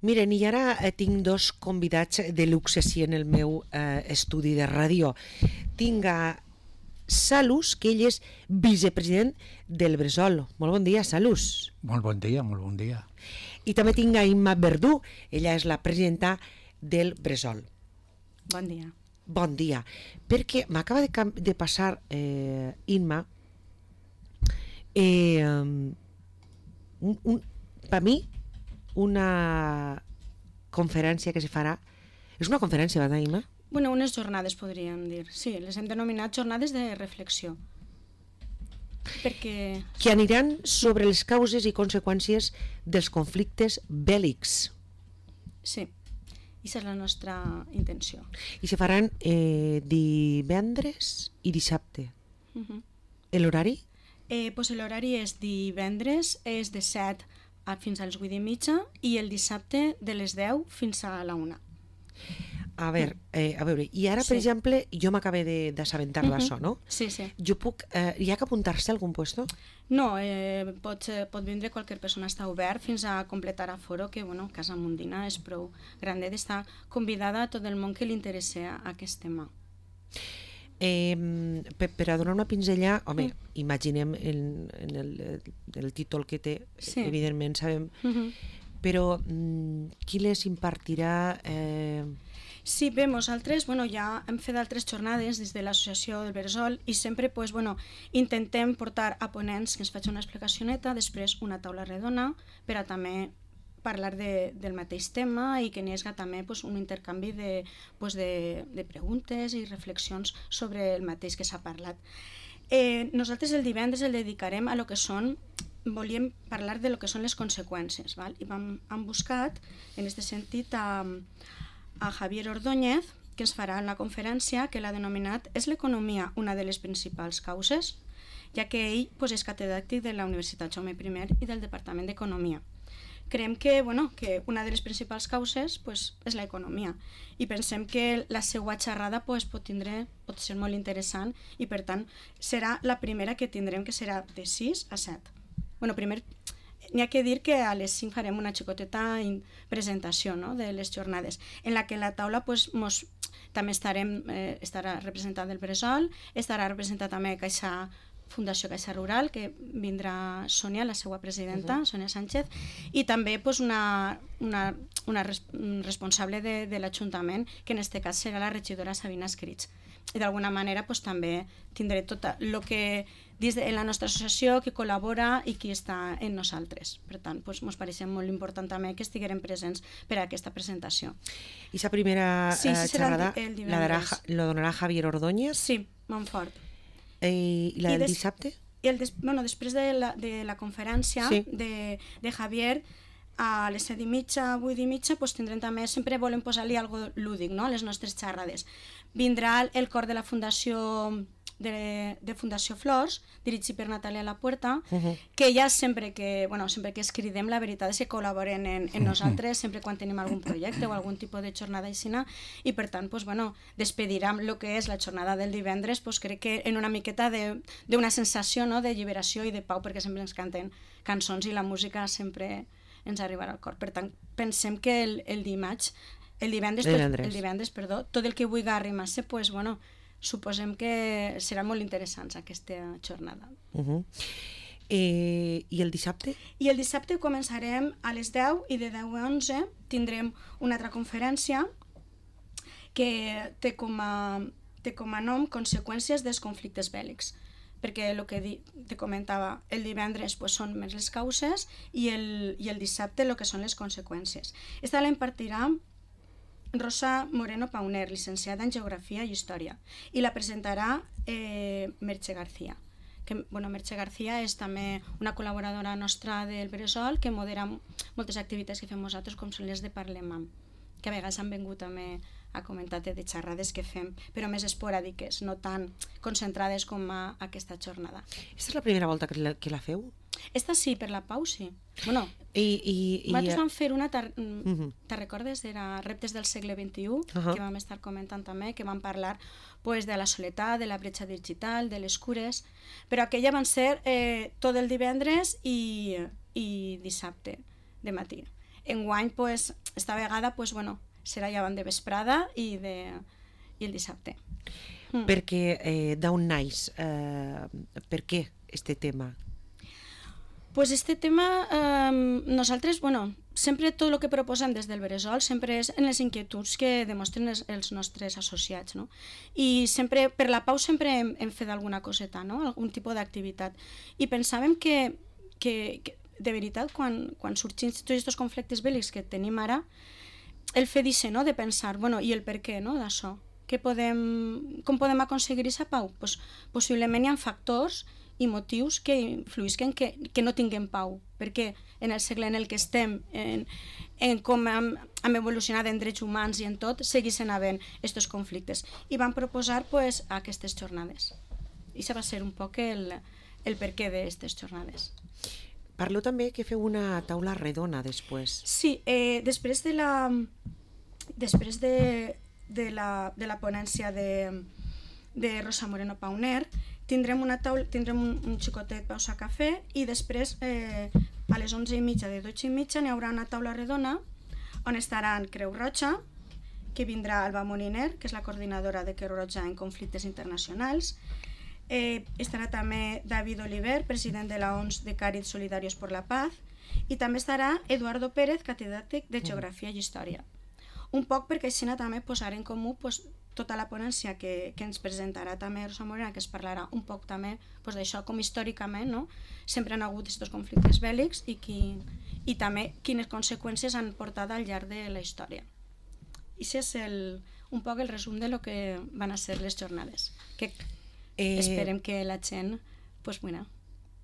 Miren, i ara tinc dos convidats de luxe sí, en el meu estudi de ràdio. Tinc a Salus, que ell és vicepresident del Bressol. Molt bon dia, Salus. Molt bon dia, molt bon dia. I també tinc a Imma Verdú, ella és la presidenta del Bressol. Bon dia. Bon dia. Perquè m'acaba de passar, Imma, per mi, una conferència que se farà. És una conferència, verdad, Imma? Bueno, unes jornades podríem dir. Sí, les hem denominat jornades de reflexió. Perquè... Que aniran sobre les causes i conseqüències dels conflictes bèl·lics. Sí, aquesta és la nostra intenció. I se faran divendres i dissabte. L'horari? Pues l'horari és divendres, és de 7 fins als 8:30 i el dissabte de les 10 fins a la 1. A veure, i ara, per exemple, jo m'acabé d'assabentar d'això, no? Sí, sí. Jo puc... hi ha que apuntar-se a algun puesto? No, pot vindre qualsevol persona, està obert fins a completar aforo, que bueno, Casa Mundina és prou grandet, està convidada a tot el món que li interessa aquest tema. Per a donar una pinzella, home, imaginem el títol que té, sí. Evidentment sabem, però qui les impartirà? Sí, bé, nosaltres ja hem fet altres jornades des de l'associació del Bressol i sempre intentem portar a ponents que ens facin una explicació neta, després una taula redona per a també parlar del mateix tema i que n'hi hagi també un intercanvi de preguntes i reflexions sobre el mateix que s'ha parlat. Nosaltres el divendres el dedicarem a lo que són, volíem parlar de lo que són les conseqüències, val? I hem buscat en aquest sentit a Javier Ordóñez, que ens farà una conferència que l'ha denominat «És l'economia una de les principals causes?», ja que ell és catedràtic de la Universitat Jaume I i del Departament d'Economia. Creiem que una de les principals causes és l'economia i pensem que la seva xerrada pot ser molt interessant i per tant serà la primera que tindrem, que serà de 6 a 7. Primer n'hi ha que dir que a les 5 farem una xicoteta presentació, no?, de les jornades, en la que la taula també estarà representat el Bressol, estarà representat també Fundació Caixa Rural, que vindrà Sònia, la seva presidenta, Sònia Sánchez, i també una responsable de l'Ajuntament, que en aquest cas serà la regidora Sabina Escrits. I d'alguna manera també tindré tot el que dins de la nostra associació que col·labora i qui està en nosaltres. Per tant, ens pareixia molt important també que estiguérem presents per a aquesta presentació. I la primera xerrada la donarà Javier Ordóñez? Sí, Montfort. I la del dissabte? Després de la conferència de Javier, a les 7:30, 8:30, tindrem també, sempre volem posar-li alguna cosa lúdic, no?, a les nostres xerrades. Vindrà el cor de la Fundació Flors, dirigit per Natàlia Lapuerta, que ja sempre que es cridem, la veritat és que col·laboren en nosaltres sempre quan tenim algun projecte o algun tipus de jornada aixina, i per tant despedirem el que és la jornada del divendres, crec que en una miqueta d'una sensació d'alliberació i de pau, perquè sempre ens canten cançons i la música sempre ens arribarà al cor. Per tant, pensem que el divendres, tot el que vulgui arrimar-se, suposem que serà molt interessant aquesta jornada. I el dissabte? I el dissabte començarem a les 10 i de 10 a 11 tindrem una altra conferència que té com a nom Conseqüències dels conflictes bèl·lics, perquè el que te comentava, el divendres són més les causes i el dissabte el que són les conseqüències. Esta la impartirà Rosa Moreno Pauner, llicenciada en Geografia i Història, i la presentarà Merche García. Merche García és també una col·laboradora nostra del Bressol que modera moltes activitats que fem nosaltres, com són les de Parlem, que a vegades han vingut també a comentar de xerrades que fem, però més esporàdiques, no tan concentrades com aquesta jornada. Aquesta és la primera volta que la feu? Esta sí, per la Pau sí. Nosaltres vam fer una, te recordes? Era Reptes del segle XXI, que vam estar comentant també, que vam parlar de la soledat, de la bretxa digital, de les cures, però aquella van ser tot el divendres i dissabte de matí. Enguany, pues, esta vegada, pues, bueno, serà llevant de vesprada i el dissabte. Perquè d'on naix? Per què este tema? Pues este tema, nosaltres, bueno, sempre tot el que proposem des del Bressol sempre és en les inquietuds que demostren els nostres associats, no? I sempre, per la pau sempre hem fet alguna coseta, no? Algun tipus d'activitat. I pensàvem que de veritat, quan sorgim tots aquests conflictes bèl·lics que tenim ara, el fet d'això, no? De pensar, bueno, i el per què, no?, d'això. Com podem aconseguir aquesta pau? Pues, possiblement hi ha factors i motius que influïsquen que no tinguem pau, perquè en el segle en el que estem, en com hem evolucionat en drets humans i en tot, seguissin havent aquests conflictes. I vam proposar pues, aquestes jornades. I això va ser un poc el per què d'aquestes jornades. Parleu també que feu una taula redona després. Sí, després de la ponència de Rosa Moreno Pauner, tindrem un xicotet pausa cafè i després a les 11:30 de 12:30 n'hi haurà una taula redona on estaran Creu Roja, que vindrà Alba Moliner, que és la coordinadora de Creu Roja en conflictes internacionals, estarà també David Oliver, president de la ONS de Càritas Solidarios por la Paz, i també estarà Eduardo Pérez, catedràtic de Geografia i Història. Un poc perquè així també posar en comú tota la ponència que ens presentarà també Rosa Morena, que es parlarà un poc també d'això, com històricament sempre han hagut aquests conflictes bèl·lics i també quines conseqüències han portat al llarg de la història. I això és un poc el resum de lo que van a ser les jornades, que esperem que la gent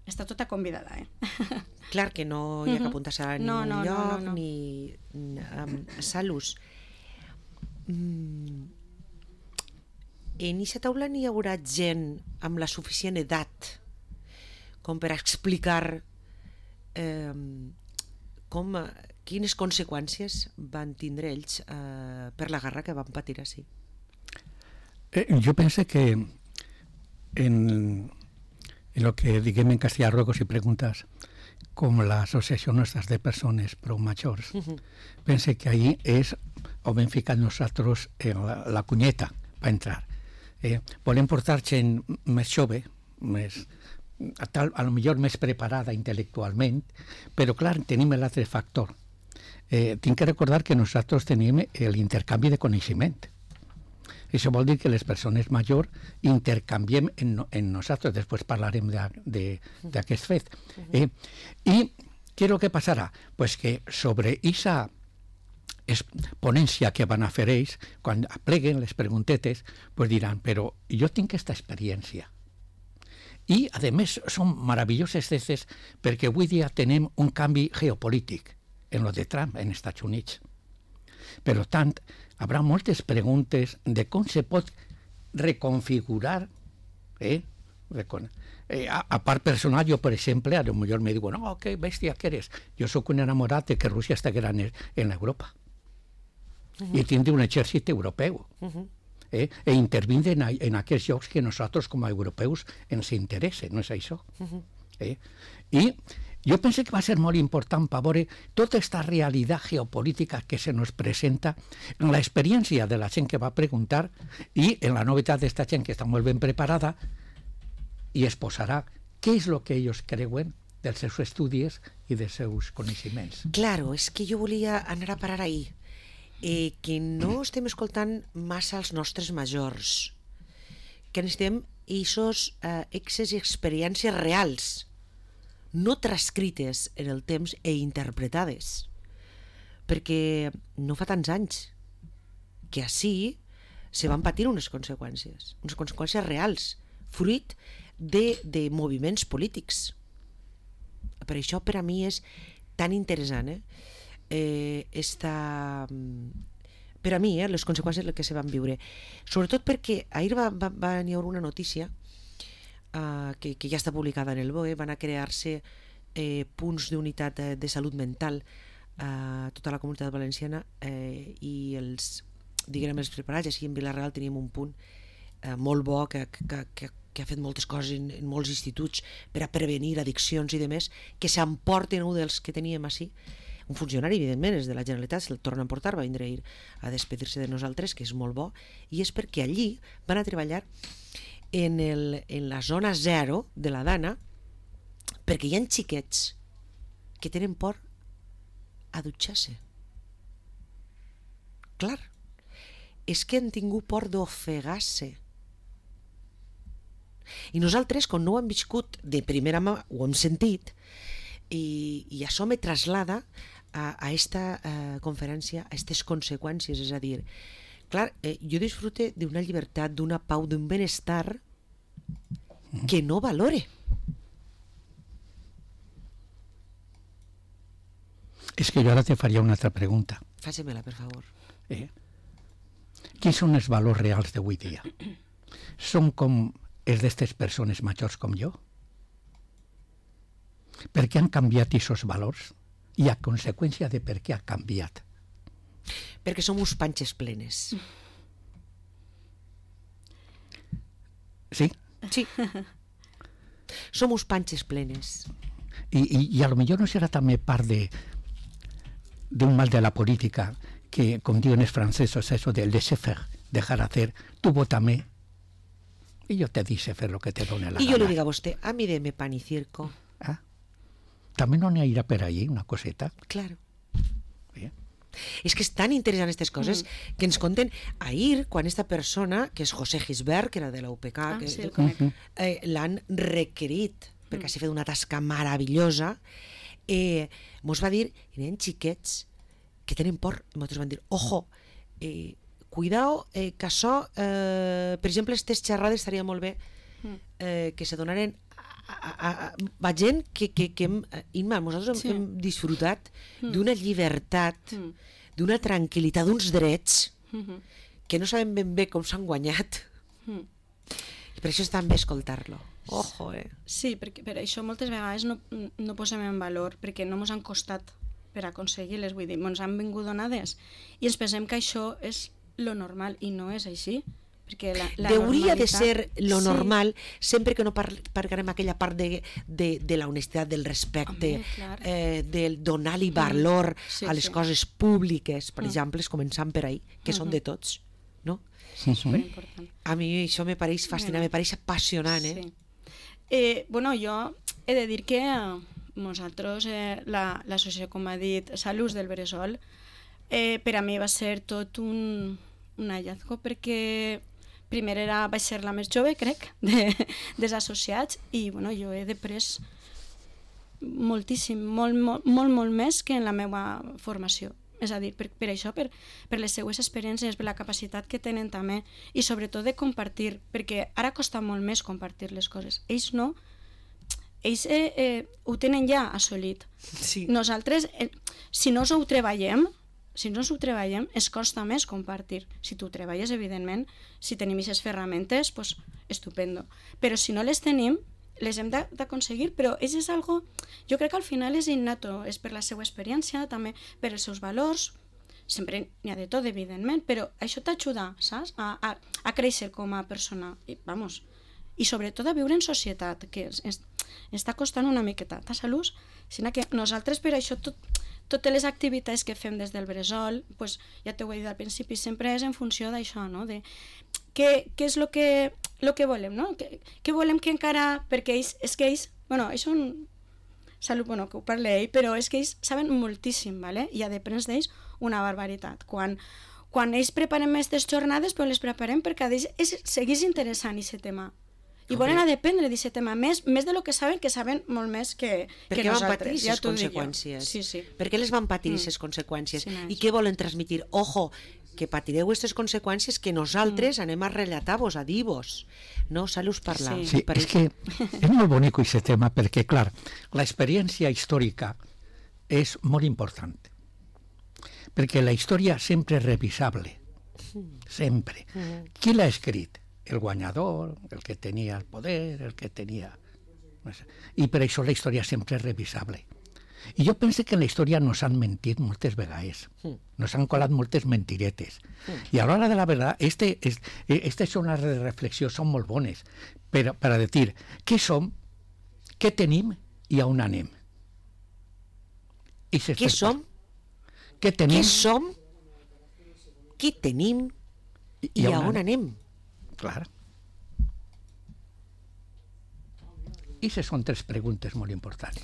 està tota convidada. Clar que no hi ha que apuntar-se a ningú lloc, ni Salus. En aquesta taula n'hi haurà gent amb la suficient edat com per explicar quines conseqüències van tindre ells per la guerra que van patir així. Yo pensé que en lo que diguem en castellà ruego si preguntas com l'associació nostres de persones prou majors, pense que ahí és on hem ficat nosaltres la cunyeta per entrar. Volem portar gent més jove, a lo millor més preparada intel·lectualment, però clar, tenim l'altre factor. Tinc que recordar que nosaltres tenim l'intercanvi de coneixement. Això vol dir que les persones majors intercanviem en nosaltres, després parlarem d'aquest fet. I què és el que passarà? Pues que sobre aquesta ponència que van a fer ells, quan apleguen les preguntetes, pues diran, però jo tinc aquesta experiència. I, a més, són meravelloses coses perquè avui dia tenim un canvi geopolític en lo de Trump en Estats Units. Per tant, hi haurà moltes preguntes de com se pot reconfigurar. A part personal, jo, per exemple, a lo millor me diuen, oh, que bèstia que eres. Jo sóc un enamorat de que Rússia estiguera en Europa. I tindre un exèrcit europeu. I intervindre en aquells llocs que nosaltres, com a europeus, ens interessen, no és això? I jo penso que va ser molt important per veure tota aquesta realitat geopolítica que se nos presenta en l'experiència de la gent que va preguntar i en la novetat d'esta gent que està molt ben preparada i exposarà què és el que ells creuen dels seus estudis i dels seus coneixements. Claro, és que jo volia anar a parar ahir, que no estem escoltant massa els nostres majors, que necessitem aquests excessos i experiències reals, no transcrites en el temps i interpretades, perquè no fa tants anys que així se van patir unes conseqüències reals, fruit de moviments polítics. Per això per a mi és tan interessant per a mi les conseqüències que se van viure, sobretot perquè ahir va venir una notícia que ja està publicada en el BOE. Van a crear-se punts d'unitat de salut mental a tota la comunitat valenciana i els preparats. Així en Vila-real tenim un punt molt bo que ha fet moltes coses en molts instituts per a prevenir addiccions i demés, que s'emporten un dels que teníem així un funcionari, evidentment, és de la Generalitat, se'l torna a portar, va vindre ahir a despedir-se de nosaltres, que és molt bo, i és perquè allí van a treballar en la zona 0 de la Dana, perquè hi ha xiquets que tenen por a dutxar-se. Clar, és que han tingut por d'ofegar-se. I nosaltres, quan no ho hem viscut de primera mà, ho hem sentit, i això me traslada a esta conferència, a aquestes conseqüències, és a dir, clar, jo disfrute d'una llibertat, d'una pau, d'un benestar que no valore. És que jo ara te faria una altra pregunta. Faci-me-la, per favor. Quins són els valors reals d'avui dia? Són com els d'aquestes persones majors com jo? Per què han canviat aquests valors? I a conseqüència de per què ha canviat? Perquè som uns panxes plenes. Sí? Sí. Som uns panxes plenes. I a lo millor no serà també part d'un mal de la política que, com diuen els francesos, eso de laissez-faire, dejar hacer, tu vótame y yo te dice fer lo que te done la gana. Y yo le digo a usted, a mí deme pan y circo. ¿Ah? ¿También no irá por ahí una coseta? Claro. Bien. És que és tan interessant aquestes coses que ens conten ahir, quan esta persona, que és José Gisbert, que era de la UPK, l'han requerit, perquè s'ha fet una tasca meravellosa, mos va dir, hi ha xiquets que tenen por, i nosaltres van dir, ojo, cuidao, que això, per exemple, aquestes xerrades estaria molt bé que se donaren a gent que Imma, nosaltres hem disfrutat d'una llibertat, d'una tranquil·litat, d'uns drets que no sabem ben bé com s'han guanyat, i per això és tan bé escoltar-lo. Ojo, Sí, perquè per això moltes vegades no posem en valor, perquè no ens han costat per aconseguir-les, vull dir, ens han vingut donades i ens pensem que això és lo normal i no és així. Hauria de ser lo normal, sempre que no parlarem aquella part de la honestitat, del respecte, del donar-li valor a les coses públiques, per exemple, començant per ahí, que són de tots, no? Superimportant. A mi això me pareix fascinant, me pareix apassionant, Bueno, jo he de dir que nosaltres, l'associació, com ha dit, Salus del Bressol, per a mi va ser tot un hallazgo, perquè primer vaig ser la més jove, crec, dels associats, i bueno, jo he après moltíssim, molt més que en la meva formació. És a dir, per això, per les seues experiències, per la capacitat que tenen també, i sobretot de compartir, perquè ara costa molt més compartir les coses. Ells no, ells ho tenen ja assolit. Sí. Nosaltres, si no ho treballem, es costa més compartir. Si tu treballes, evidentment, si tenim aquestes ferramentes, pues, estupendo. Però si no les tenim, les hem d'aconseguir, però és algo, jo crec que al final és innato, és per la seva experiència, també per els seus valors, sempre n'hi ha de tot, evidentment, però això t'ajuda, saps?, a créixer com a persona, i sobretot a viure en societat, que està costant una miqueta a Salus, sinó que nosaltres per això totes les activitats que fem des del Bressol, pues, ja t'ho he dit al principi, sempre és en funció d'això, no? De què és el que volem, no? Què volem que encara... Perquè és que ells, ells són... Salut, que ho parla ell, però és que ells saben moltíssim, ¿vale? I ha d'aprendre d'ells una barbaritat. Quan ells preparen aquestes jornades, però les preparem perquè a ells seguís interessant aquest tema. I volen a dependre d'aquest tema, més de lo que saben molt més que nosaltres. Perquè van patir aquestes conseqüències. Sí. Per què les van patir aquestes conseqüències? I què volen transmitir? Ojo, que patireu aquestes conseqüències que nosaltres anem a relatar-vos, a dir-vos. No, Salus parla. Sí, és que és molt bonic aquest tema, perquè, clar, l'experiència històrica és molt important. Perquè la història sempre és revisable. Sempre. Qui l'ha escrit? El guanyador, el que tenia el poder, el que tenia... I per això la història sempre és revisable. I jo penso que en la història nos han mentit moltes vegades. Nos han colat moltes mentiretes. I a l'hora de la veritat, aquestes zones de reflexió són molt bones per a dir què som, què tenim i a on anem. Què som, què tenim, què som, què tenim i a on anem. Clar. I aquestes són 3 preguntes molt importants.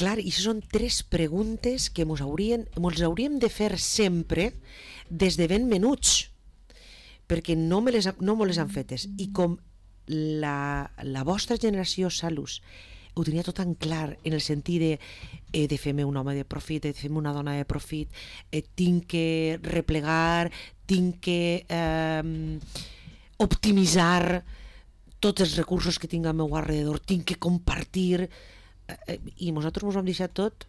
Clar, i són 3 preguntes que mos hauríem de fer sempre des de ben menuts, perquè no me les han fetes. I com la vostra generació, Salus, ho tenia tot tan clar en el sentit de he de fer-me un home de profit, he de fer-me una dona de profit, tinc que replegar, tinc que optimitzar tots els recursos que tinc al meu alrededor, tinc que compartir, i nosaltres ens vam deixar tot,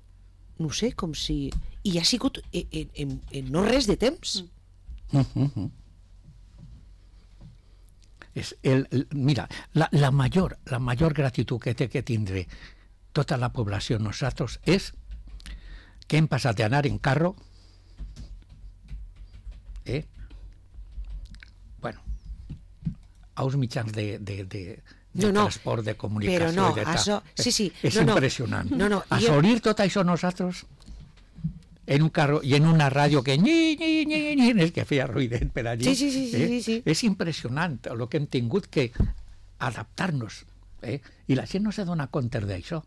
no sé, com si... I ha sigut en no res de temps. Mira, la mayor gratitud que té que tindre tota la població nosaltres és que hem passat d'anar en carro bueno, a uns mitjans de transport, de comunicació, però no, de tal. això, sí, és impressionant. Assolir tot això nosaltres en un carro i en una ràdio que és que feia ruïdet per allí. Sí. És impressionant el que hem tingut que adaptar-nos. I la gent no se dona compte d'això.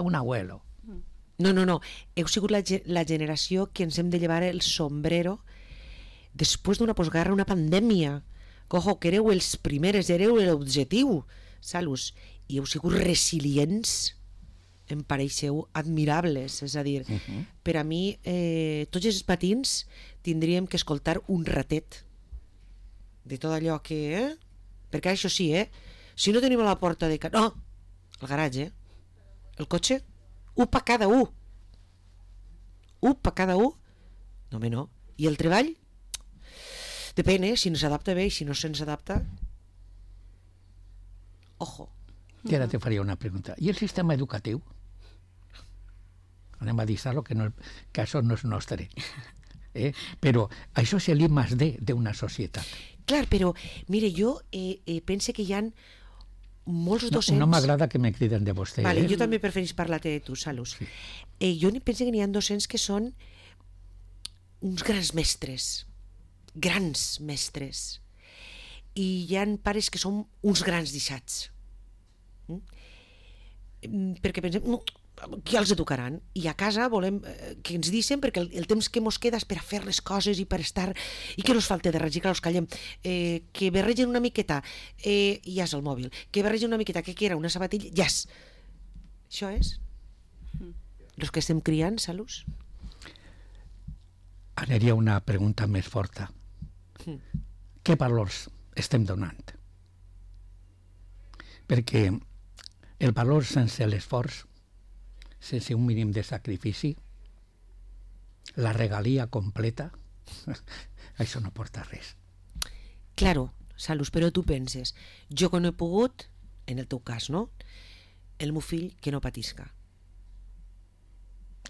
Un abuelo. No. Heu sigut la generació que ens hem de llevar el sombrero després d'una postguerra, una pandèmia. Cojo, que éreu els primers, éreu l'objectiu, Salus, i heu sigut resilients, em pareixeu admirables, és a dir, per a mi tots els matins tindríem que escoltar un ratet de tot allò que... perquè això sí, si no tenim a la porta de... No, el garatge, el cotxe, un per cada un. Un per cada un? No, home, no. I el treball? Depèn, si no s'adapta bé i si no se'ns adapta... Ojo. I ara te faria una pregunta. I el sistema educatiu? Anem a dir-lo, que això no és nostre. Però això és l'I+D d'una societat. Clar, però, mire, jo pense que hi ha molts docents... No m'agrada que me criden de vostè. Vale, jo també preferís parlar-te de tu, Salus. Sí. Jo penso que n'hi ha docents que són uns grans mestres, i hi ha pares que són uns grans deixats. Perquè pensem, no, qui els educaran? I a casa volem que ens deixen, perquè el temps que mos queda és per a fer les coses i per estar, i que no ens falta de res, i que els callem, que barregen una miqueta, ja és el mòbil, que barregen una miqueta, que era una sabatilla, ja és. Això és? Els que estem criant, Salus? Ara hi ha una pregunta més forta. Què valors estem donant? Perquè el valor sense l'esforç, sense un mínim de sacrifici, la regalia completa, això no porta res. Claro, Salus, però tu penses, jo que no he pogut, en el teu cas, no? El meu fill que no patisca.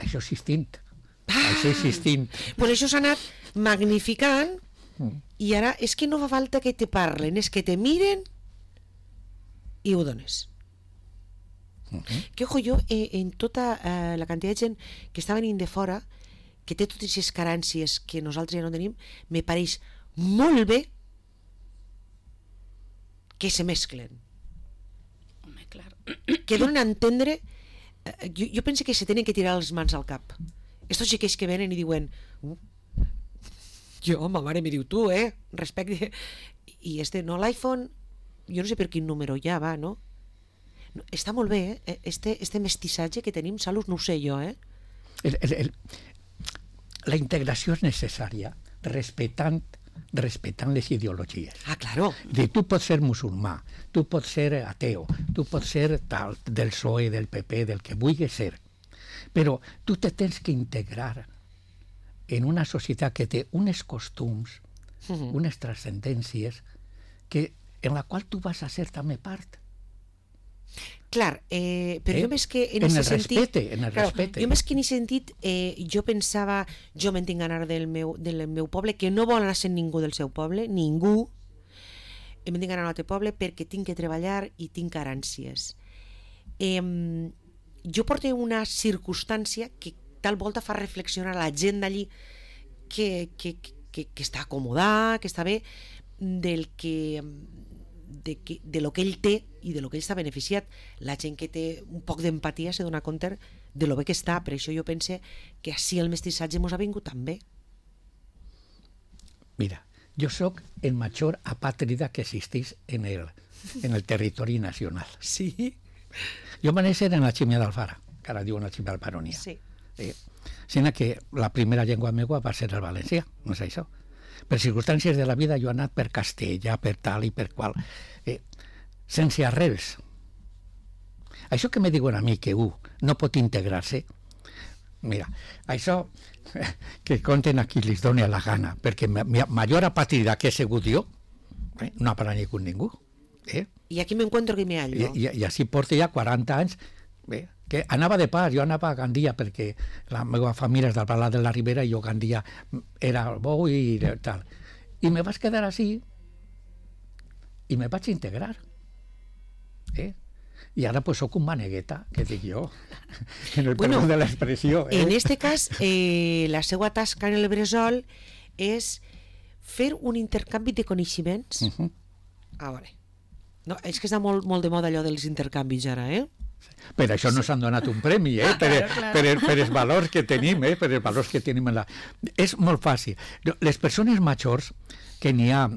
Això existint. Això existint. Pues això s'ha anat magnificant i ara és que no fa falta que te parlen, és que te miren i ho dones. Que ojo, jo en tota la quantitat de gent que està venint de fora, que té totes aquestes carències que nosaltres ja no tenim, me pareix molt bé que se mesclen. Home, clar. Que donen a entendre... Jo penso que se tenen que tirar les mans al cap. Estos xiquets que venen i diuen jo, ma mare me diu tu, respecte. I no, l'iPhone, jo no sé per quin número ja va, no? Està molt bé, este mestissatge que tenim, Salus, no ho sé jo, La integració és necessària, respectant les ideologies. Ah, claro. Tu pots ser musulmà, tu pots ser ateu, tu pots ser tal, del PSOE, del PP, del que vulguis ser, però tu te tens que integrar en una societat que té uns costums, unes transcendències, en la qual tu vas a ser també part. Clar, però jo més que en aquest sentit... En el respecte. Jo més que en aquest sentit, jo pensava, jo me'n tinc anar del meu poble, que no vol anar sent ningú del seu poble, ningú, me'n tinc anar al altre poble perquè tinc que treballar i tinc carències. Jo porto una circumstància que tal volta fa reflexionar la gent d'allí que està acomodada, que està bé, de lo que ell té i de lo que ell està beneficiat. La gent que té un poc d'empatia se dona compte de lo bé que està. Per això jo pense que així el mestissatge mos ha vingut tan bé. Mira, jo sóc el major apàtrida que existeix en el territori nacional. Sí? Jo va néixer en la Ximia d'Alfara, que ara diuen la Ximia d'Alfaronia. Sí. Sinó que la primera llengua meua va ser el valencià, no és això. Per circumstàncies de la vida jo he anat per castellà, per tal i per qual, sense arrels. Això que me diuen a mi que no pot integrar-se, mira, això que conten a qui li doni la gana, perquè major apàtrida que he sigut jo, no ha parat ningú. I aquí m'encuentro que me hallo. I així porta ja 40 anys, que anava de pas, jo anava a Gandia perquè la meva família és del Palau de la Ribera i jo Gandia era el bou i tal. I me vaig quedar així i me vaig integrar. I ara pues soc un manegueta, que dic jo, en el perdó de l'expressió. En este cas, la seva tasca en el Bressol és fer un intercanvi de coneixements. A veure, no, és que està molt de moda allò dels intercanvis ara, Per això no s'han donat un premi, per els valors que tenim, per els valors que tenim. És molt fàcil. Les persones majors, que n'hi ha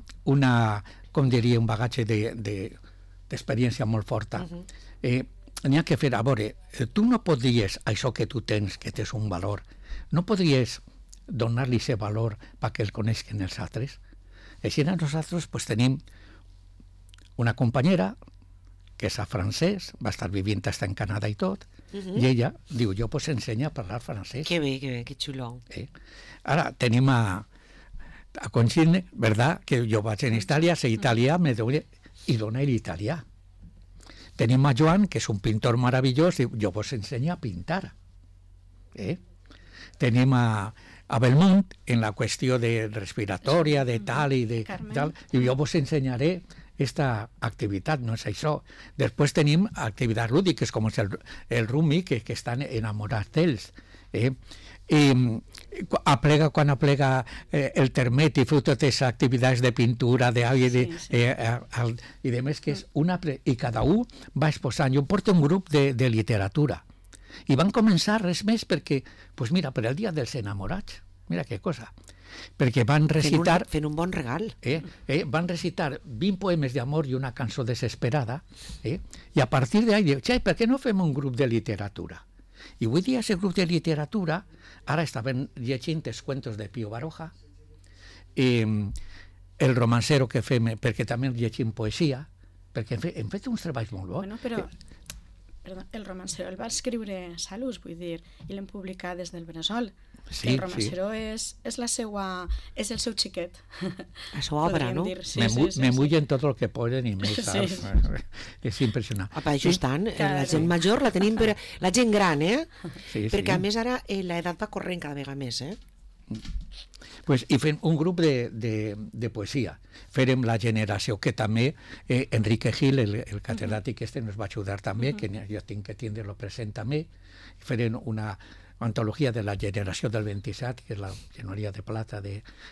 com diria, un bagatge d'experiència molt forta, n'hi ha que fer, a veure, tu no podries, això que tu tens, que tens un valor, no podries donar-li aquest valor perquè el coneixen els altres? Així nosaltres tenim una companyera que és francès, va estar vivint fins en Canadà i tot, i ella diu, jo pues ensenya a parlar francès. Que bé, que xulo. Ara tenim a Conxine, ¿verdad? Que jo vaig en Itàlia, sé italià, i dona l'italià. Tenim a Joan, que és un pintor meravellós, diu, jo vos ensenyo a pintar. Tenim a Belmont, en la qüestió de respiratòria, de tal i de tal, i jo vos ensenyaré esta activitat, no és això. Després tenim activitats lúdiques, com és el rumi, que estan enamorats d'ells. Quan aplega el termet i feu totes les activitats de pintura, i de més, que és i cada un va exposant. Jo porto un grup de literatura i van començar res més perquè, doncs mira, per el dia dels enamorats, mira que cosa, perquè van recitar... Fent un bon regal. Van recitar 20 poemes d'amor i una cançó desesperada, i a partir d'ahí diu, per què no fem un grup de literatura? I avui dia aquest grup de literatura, ara estaven llegint els cuentos de Pío Baroja, el romancero que fem, perquè també llegim poesia, perquè hem fet uns treballs molt bons. Bueno, però... Perdó, el romancero el va escriure Salus, vull dir, i l'hem publicat des del Bressol. El romancero és el seu xiquet. La seva obra, no? Me mullen tot el que poden i més, saps? És impressionant. Això estan, la gent major la tenim, la gent gran, perquè a més ara l'edat va corrent cada vegada més, I fem un grup de poesia. Farem la generació, que també Enrique Gil, el catedràtic nos va ajudar també, que jo tinc que tindre-lo present també. Farem una antologia de la generació del 27, que és la genoria de plata.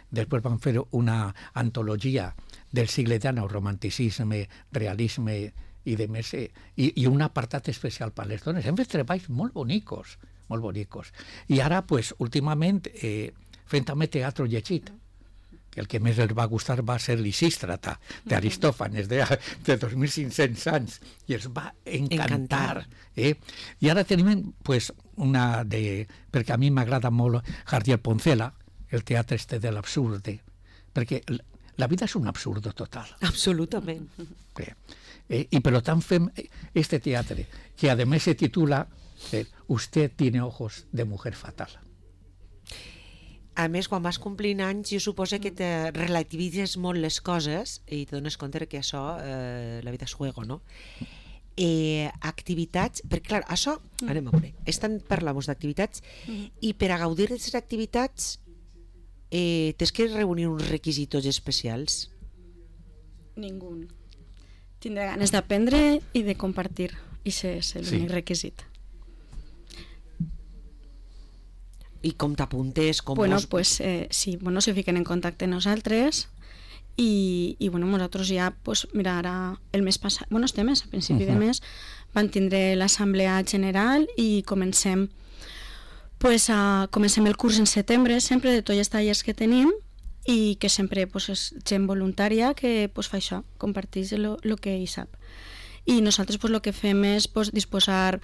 Després vam fer una antologia del segle XIX, romanticisme, realisme i de més, i un apartat especial per les dones. Hem fet treballs molt bonicos, molt bonicos. I ara, últimament, fent també teatre llegit, que el que més els va gustar va ser Lisístrata, d'Aristòfanes, de 2.500 anys, i els va encantar. I ara tenim una de... perquè a mi m'agrada molt Jardiel Poncela, el teatre de l'absurd, perquè la vida és un absurdo total. Absolutament. I per tant fem este teatre, que a més se titula Usted tiene ojos de mujer fatal. A més, quan vas complint anys, jo suposo que te relativitzes molt les coses i te dones compte que això, la vida és juego, no? Activitats, perquè clar, això, anem a veure, parlem d'activitats i per a gaudir d'aquestes activitats tens que reunir uns requisits especials? Ningú. Tindrà ganes d'aprendre i de compartir, i és l'únic requisit. I com t'apuntes? Sí, se fiquen en contacte amb nosaltres i nosaltres ja, mira, ara el mes passat, este mes, a principi de mes, van tindre l'assemblea general i comencem el curs en setembre, sempre de tots els tallers que tenim, i que sempre és gent voluntària que fa això, comparteix el que hi sap. I nosaltres el que fem és disposar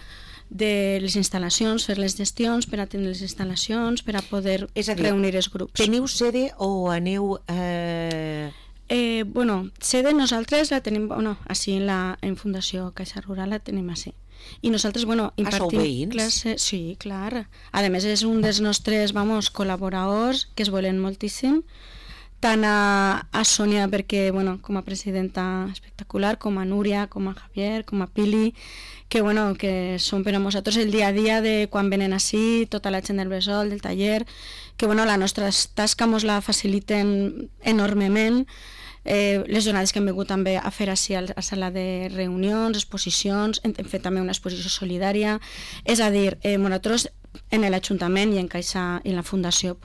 de les instal·lacions, fer les gestions per atendre les instal·lacions, per a poder reunir els grups. Teniu sede o aneu... Sede nosaltres la tenim, així en Fundació Caixa Rural la tenim així. I nosaltres, impartim classes... Sí, clar. A més, és un dels nostres, col·laboradors que es volen moltíssim, tant a Sònia, perquè, com a presidenta espectacular, com a Núria, com a Javier, com a Pili, que són per a nosaltres el dia a dia de quan venen així, tota la gent del Bressol, del taller, que la nostra tasca ens la faciliten enormement. Les jornades que hem vingut també a fer així a la sala de reunions, exposicions, hem fet també una exposició solidària, és a dir, nosaltres en l'Ajuntament i en Caixa i en la Fundació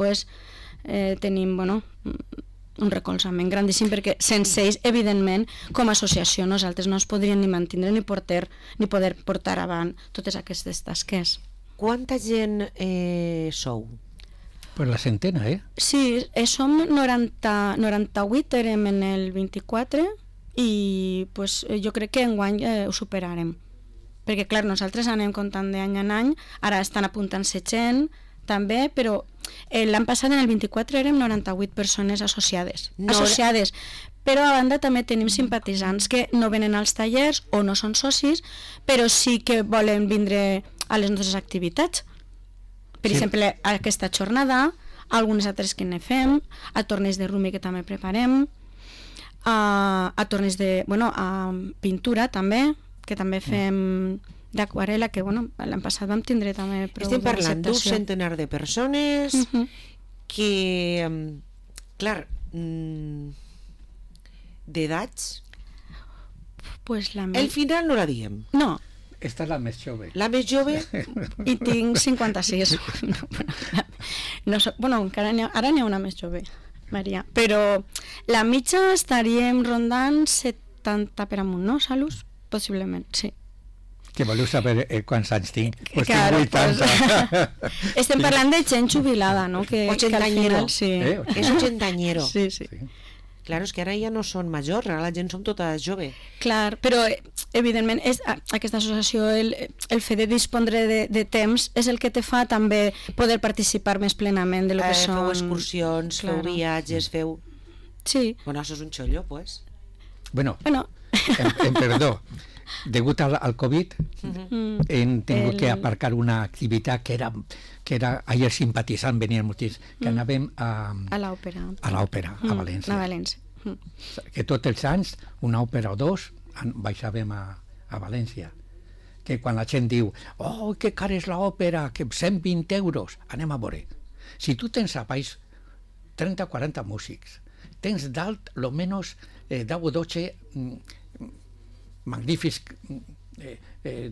tenim un recolzament grandíssim, perquè sense ells, evidentment, com a associació nosaltres no es podríem ni mantindre ni poder portar avant totes aquestes tasques. Quanta gent sou? Pues la centena, Sí, som 98, érem en el 24, i jo crec que enguany ho superarem. Perquè, clar, nosaltres anem comptant d'any en any, ara estan apuntant-se gent, també, però l'any passat, en el 24, érem 98 persones associades. Però a banda també tenim simpatitzants que no venen als tallers o no són socis, però sí que volen vindre a les nostres activitats. Per exemple, aquesta jornada, algunes altres que ne fem, a torneigs de rumi que també preparem, a torneigs de pintura també, que també fem d'aquarela, que l'any passat vam tindre també prou d'acceptació. Estem parlant d'un centenar de persones que, clar, d'edats, al final no la diem. No. Esta és la més jove. La més jove? I tinc 56. Encara ara n'hi ha una més jove, Maria. Però la mitja estaríem rondant 70 per amunt, no, Salus? Possiblement, sí. Que voleu saber quants anys tinc? Claro, tinc 80. Estem parlant de gent jubilada, no? Ochentañero. Sí. És ochentañero. Sí. Claro, és que ara ja no són majors, ara la gent som tota jove. Clar, però evidentment aquesta associació, el fet de dispondre de temps és el que te fa també poder participar més plenament de lo que són... Feu excursions, feu viatges, feu... Sí. Bueno, això és un xollo, pues. Bueno. Perdó. Degut al Covid, hem tingut que aparcar una activitat que era ahir simpatitzant, venien molts, que anàvem a l'òpera. A l'òpera, a València. A València. Que tots els anys, una òpera o dos, baixàvem a València. Que quan la gent diu, oh, que cara és l'òpera, que 120 euros, anem a veure. Si tu tens a baix 30 o 40 músics, tens dalt, lo menos, 10 o 12 magnífics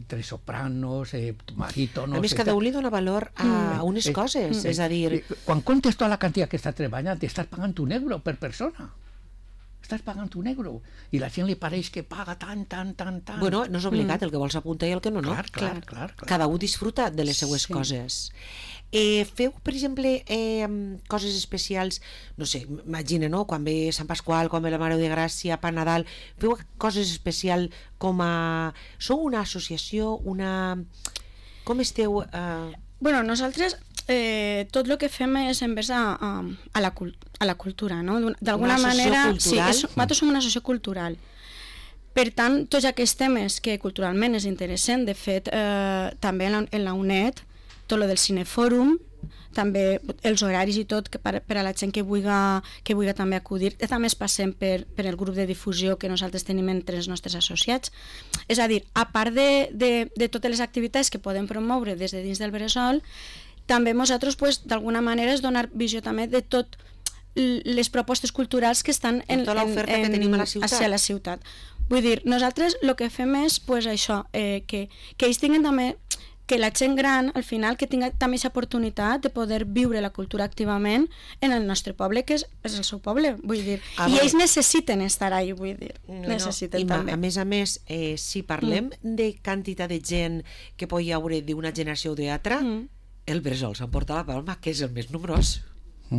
tres sopranos, barítonos... A més, cada un li dona valor a unes coses, és a dir... Quan comptes tota la quantitat que està treballant, estàs pagant €1 per persona. Estàs pagant €1 i la gent li pareix que paga tant. Bueno, no és obligat, el que vols apuntar i el que no. Clar. Cada un disfruta de les seues coses. Feu, per exemple, coses especials, no sé, imagina, no? Quan ve Sant Pasqual, quan ve la Mare de Gràcia, per Nadal, feu coses especials com a... Sou una associació, com esteu... Bueno, nosaltres tot el que fem és envers a la cultura, no? D'alguna manera... Sí, nosaltres som una associació cultural. Per tant, tots aquests temes que culturalment és interessant, de fet, també en la UNED, tot el del cinefòrum, també els horaris i tot, per a la gent que vulgui també acudir. També es passem per el grup de difusió que nosaltres tenim entre els nostres associats. És a dir, a part de totes les activitats que podem promoure des de dins del Bressol, també nosaltres, d'alguna manera, és donar visió també de tot les propostes culturals que estan tota l'oferta que tenim a la ciutat. Vull dir, nosaltres el que fem és això, que ells tinguin també que la gent gran, al final, que tinga també aquesta oportunitat de poder viure la cultura activament en el nostre poble, que és el seu poble, vull dir. I ells necessiten estar ahí, vull dir. Necessiten també. A més, si parlem de quantitat de gent que pot hi haure d'una generació o d'altra, el Bressol s'emporta la palma, que és el més nombrós.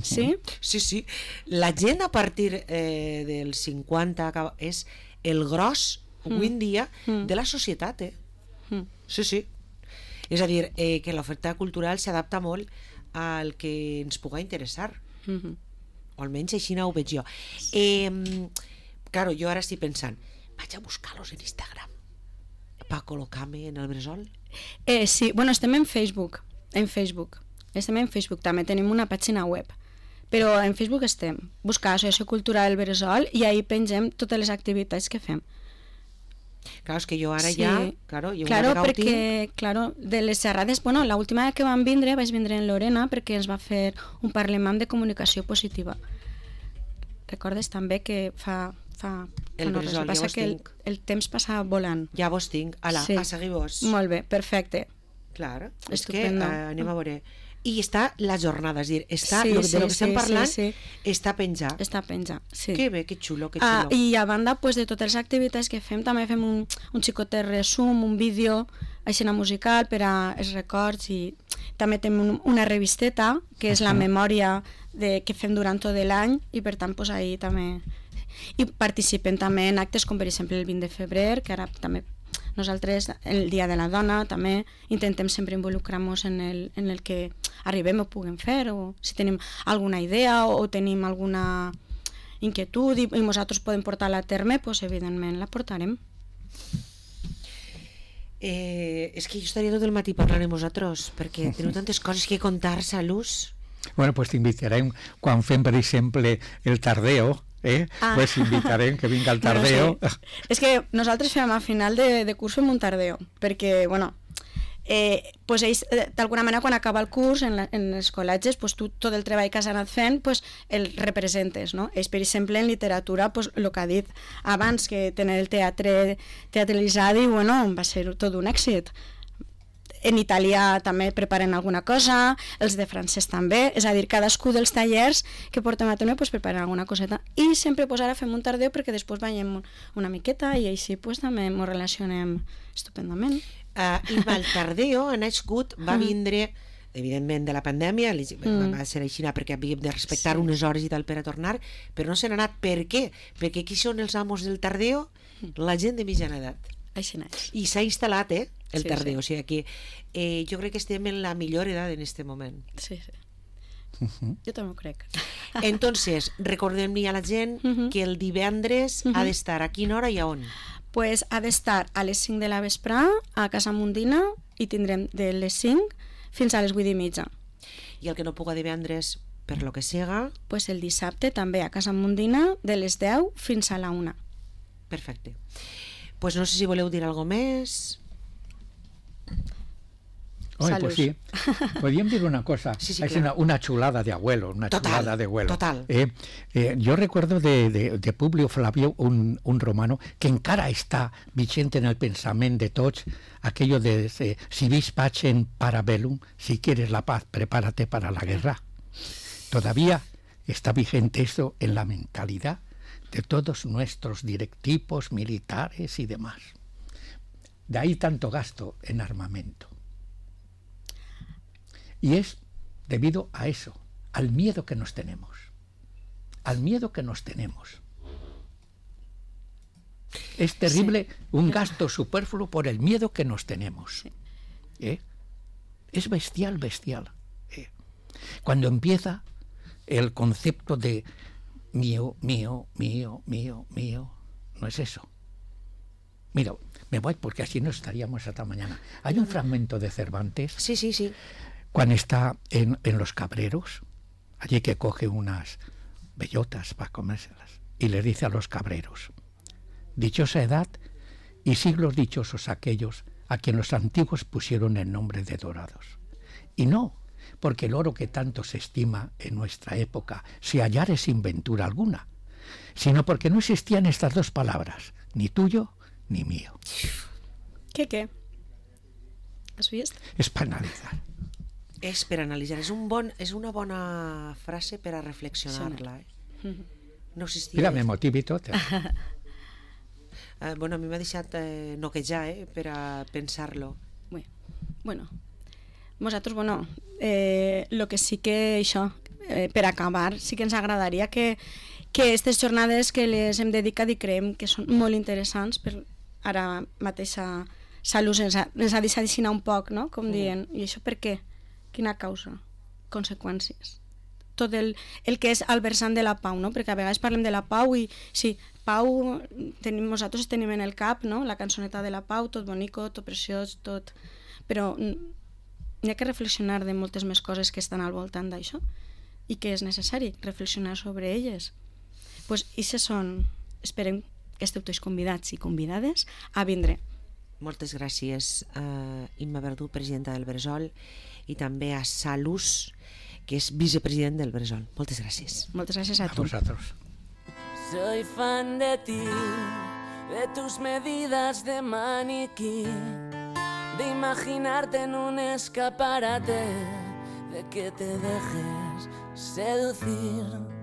Sí? Sí. La gent a partir dels 50 és el gros, avui en dia, de la societat, Sí. És a dir, que l'oferta cultural s'adapta molt al que ens pugui interessar. O almenys així ho veig jo. Claro, jo ara estic pensant, vaig a buscar-los en Instagram per col·locar-me en el Bressol. Sí, bueno, estem en Facebook. Estem en Facebook, també tenim una pàgina web. Però en Facebook estem. Buscar Associació Cultural del Bressol i ahí pengem totes les activitats que fem. Claro, és que jo ara claro, perquè, de les xerrades, bueno, l'última que vaig vindre en Lorena perquè ens va fer un parlement de comunicació positiva. Recordes també que fa el Bressol, passa que el temps passa volant. Ja vos tinc, a seguir vos. Molt bé, perfecte. Clar, és que anem a veure. I està la jornada, és dir, de lo que estem parlant, està penjat. Està penjat, sí. Que bé, que xulo. I a banda de totes les activitats que fem, també fem un xicotet resum, un vídeo, aixina musical per als records, i també tenim una revisteta, que és la memòria que fem durant tot l'any, i per tant, ahí també... I participem també en actes com, per exemple, el 20 de febrer, que ara també... Nosaltres, el Dia de la Dona, també intentem sempre involucrar-nos en el que arribem o puguem fer, o si tenim alguna idea o tenim alguna inquietud i nosaltres podem portar-la a terme, doncs evidentment la portarem. És que jo estaria tot el matí parlant amb vosaltres, perquè teniu tantes coses que contar, Salús. Bueno, pues t'invitarem quan fem, per exemple, el tardeo, pues invitarem que vinga el tardeo. Bueno, sí. És que nosaltres fem a final de curs fem un tardeo, perquè, bueno, pues ells, d'alguna manera, quan acaba el curs en els col·legis, pues tu tot el treball que has anat fent, pues el representes, no? Ells, per exemple, en literatura, pues el que ha dit abans, que tenir el teatre teatralitzat, i bueno, va ser tot un èxit. En italià també preparen alguna cosa, els de francès també, és a dir, cadascú dels tallers que portem a terme pues, preparen alguna coseta. I sempre pues, ara fem un tardeu perquè després veiem una miqueta i així pues, també ens relacionem estupendament. I el tardeo ha nascut, va vindre, evidentment, de la pandèmia, va ser així perquè havíem de respectar unes hores i tal per a tornar, però no se n'ha anat. Per què? Perquè qui són els amos del tardeo? La gent de mitjana edat. I s'ha instal·lat, el tardeo. O sigui que jo crec que estem en la millor edat en este moment. Sí. Jo també ho crec. Entonces, recordem-li a la gent que el divendres ha d'estar a quina hora i a on? Pues ha d'estar a les 5 de la vesprà a Casa Mundina i tindrem de les 5 fins a les 8:30. I el que no puga divendres, per lo que siga... Pues el dissabte també a Casa Mundina de les 10 fins a la 1. Perfecte. Pues no sé si voleu dir alguna més. Pues sí. Podríem dir una cosa. Sí, es claro. una chulada de abuelo. Chulada de abuelo. Total. Yo recuerdo de Publio Flavio un romano que encara està vigente en el pensament de tots, aquello de si vis pacem para bellum, si quieres la paz, prepárate para la guerra. Todavía está vigente eso en la mentalidad de todos nuestros directivos militares y demás. De ahí tanto gasto en armamento. Y es debido a eso, al miedo que nos tenemos. Al miedo que nos tenemos. Es terrible un gasto superfluo por el miedo que nos tenemos. Es bestial. Cuando empieza el concepto de mío, no es eso. Mira, me voy porque así no estaríamos hasta mañana. Hay un fragmento de Cervantes. Sí. Cuando está en los cabreros, allí que coge unas bellotas para comérselas y le dice a los cabreros: dichosa edad y siglos dichosos aquellos a quien los antiguos pusieron el nombre de dorados. Y no porque el oro que tanto se estima en nuestra época se hallare sin ventura alguna, sino porque no existían estas dos palabras, ni tuyo ni mío. ¿Qué? Has vist? És per analitzar. És per analitzar. És una bona frase per a reflexionar-la. No existia. Mira, me motivi tot. Bueno, a mi m'ha deixat noquejar per a pensar-lo. Bueno, nosaltres, el que sí que això, per acabar, sí que ens agradaria que aquestes jornades que les hem dedicat i creiem que són molt interessants, per ara mateixa Salut ens ha deixat aixina un poc, no? Com dient, i això per què? Quina causa? Conseqüències? Tot el que és al versant de la pau, no? Perquè a vegades parlem de la pau i sí, pau nosaltres tenim en el cap, no? La cançoneta de la pau, tot bonico, tot preciós, tot... Però hi ha que reflexionar de moltes més coses que estan al voltant d'això i que és necessari reflexionar sobre elles. Pues ixes són... Esperem que esteu tots convidats i convidades a vindre. Moltes gràcies a Imma Verdú, presidenta del Bressol, i també a Salus, que és vicepresident del Bressol. Moltes gràcies. Moltes gràcies a tu. A vosaltres. Soy fan de ti, de tus medidas de maniquí, de imaginarte en un escaparate, de que te dejes seducir.